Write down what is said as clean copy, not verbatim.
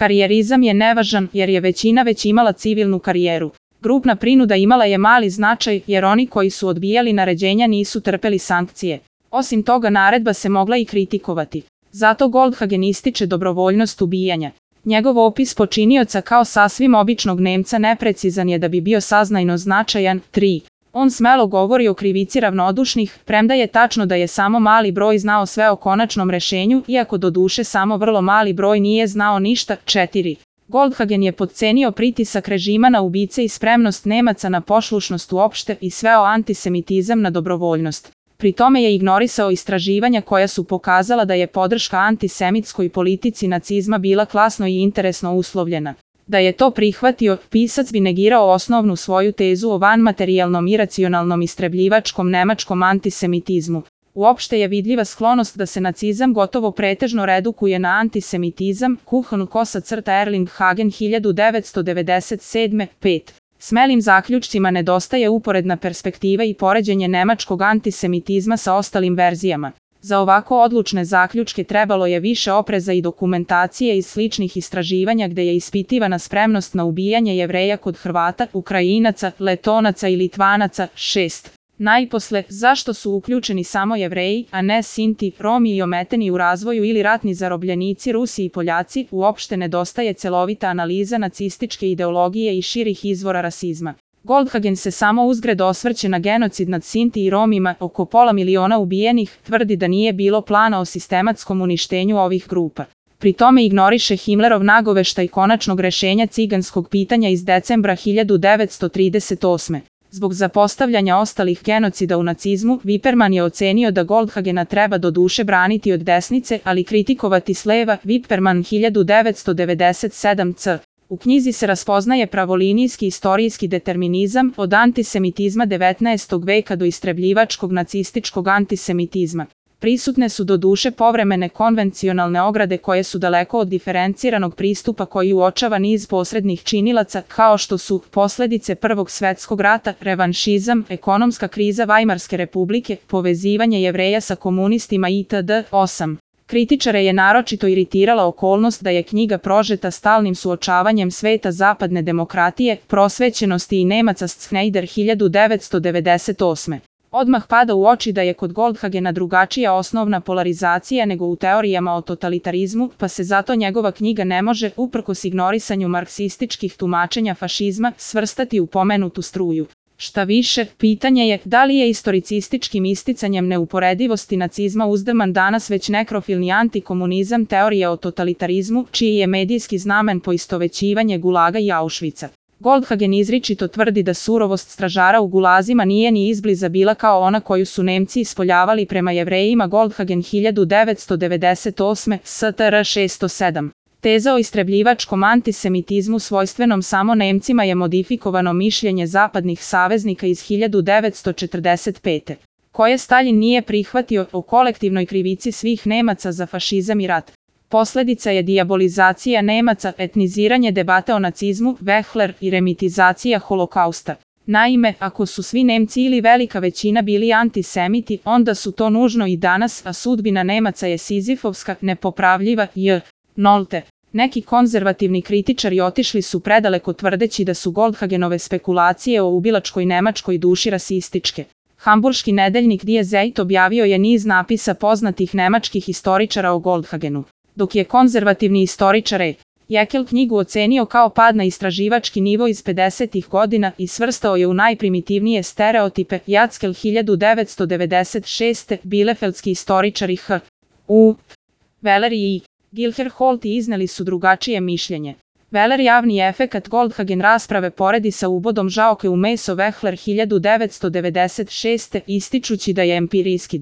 Karijerizam je nevažan jer je većina već imala civilnu karijeru. Grupna prinuda imala je mali značaj jer oni koji su odbijali naređenja nisu trpeli sankcije. Osim toga naredba se mogla i kritikovati. Zato Goldhagen ističe dobrovoljnost ubijanja. Njegov opis počinioca kao sasvim običnog Nemca neprecizan je da bi bio saznajno značajan. 3. On smelo govori o krivici ravnodušnih, premda je tačno da je samo mali broj znao sve o konačnom rešenju, iako doduše samo vrlo mali broj nije znao ništa. 4. Goldhagen je podcenio pritisak režima na ubice i spremnost Nemaca na poslušnost uopšte i sveo antisemitizam na dobrovoljnost. Pri tome je ignorisao istraživanja koja su pokazala da je podrška antisemitskoj politici nacizma bila klasno i interesno uslovljena. Da je to prihvatio, pisac bi negirao osnovnu svoju tezu o vanmaterijalnom iracionalnom istrebljivačkom nemačkom antisemitizmu. Uopšte je vidljiva sklonost da se nacizam gotovo pretežno redukuje na antisemitizam. Erling Hagen 1997. 5. Smelim zaključcima nedostaje uporedna perspektiva i poređenje nemačkog antisemitizma sa ostalim verzijama. Za ovako odlučne zaključke trebalo je više opreza i dokumentacije iz sličnih istraživanja gde je ispitivana spremnost na ubijanje Jevreja kod Hrvata, Ukrajinaca, Letonaca i Litvanaca. 6. Najposle, zašto su uključeni samo Jevreji, a ne Sinti, Romi i ometeni u razvoju ili ratni zarobljenici Rusi i Poljaci, uopšte nedostaje celovita analiza nacističke ideologije i širih izvora rasizma. Goldhagen se samo uzgred osvrće na genocid nad Sinti i Romima, oko 500.000 ubijenih, tvrdi da nije bilo plana o sistematskom uništenju ovih grupa. Pri tome ignoriše Himmlerov nagoveštaj konačnog rešenja ciganskog pitanja iz decembra 1938. Zbog zapostavljanja ostalih genocida u nacizmu, Wipperman je ocenio da Goldhagena treba doduše braniti od desnice, ali kritikovati s leva. Wipperman 1997 c. U knjizi se raspoznaje pravolinijski istorijski determinizam od antisemitizma 19. veka do istrebljivačkog nacističkog antisemitizma. Prisutne su doduše povremene konvencionalne ograde koje su daleko od diferenciranog pristupa koji uočava niz posrednih činilaca, kao što su posledice Prvog svetskog rata, revanšizam, ekonomska kriza Vajmarske republike, povezivanje Jevreja sa komunistima itd. 8. Kritičare je naročito iritirala okolnost da je knjiga prožeta stalnim suočavanjem sveta zapadne demokratije, prosvećenosti i Nemaca Schneider 1998. Odmah pada u oči da je kod Goldhagena drugačija osnovna polarizacija nego u teorijama o totalitarizmu, pa se zato njegova knjiga ne može, uprkos ignorisanju marksističkih tumačenja fašizma, svrstati u pomenutu struju. Šta više, pitanje je da li je istoricističkim isticanjem neuporedivosti nacizma uzdrman danas već nekrofilni antikomunizam teorije o totalitarizmu, čiji je medijski znamen poistovećivanje Gulaga i Auschwitza. Goldhagen izričito tvrdi da surovost stražara u gulazima nije ni izbliza bila kao ona koju su Nemci ispoljavali prema Jevrejima. Goldhagen 1998. STR 607. Teza o istrebljivačkom antisemitizmu svojstvenom samo Nemcima je modifikovano mišljenje zapadnih saveznika iz 1945. koje Stalin nije prihvatio o kolektivnoj krivici svih Nemaca za fašizam i rat. Posledica je dijabolizacija Nemaca, etniziranje debate o nacizmu, Wechsler i remitizacija holokausta. Naime, ako su svi Nemci ili velika većina bili antisemiti, onda su to nužno i danas, a sudbina Nemaca je sizifovska, nepopravljiva i nolte. Neki konzervativni kritičari otišli su predaleko tvrdeći da su Goldhagenove spekulacije o ubilačkoj nemačkoj duši rasističke. Hamburški nedeljnik Die Zeit objavio je niz napisa poznatih nemačkih istoričara o Goldhagenu. Dok je konzervativni istoričar Jekel knjigu ocenio kao pad na istraživački nivo iz 50. godina i svrstao je u najprimitivnije stereotipe. Jackel 1996. Bielefeldski istoričari H.U. Weller i Gilherholt izneli su drugačije mišljenje. Weller javni efekat Goldhagen rasprave poredi sa ubodom žaoke u meso. Wechsler 1996. ističući da je empirijski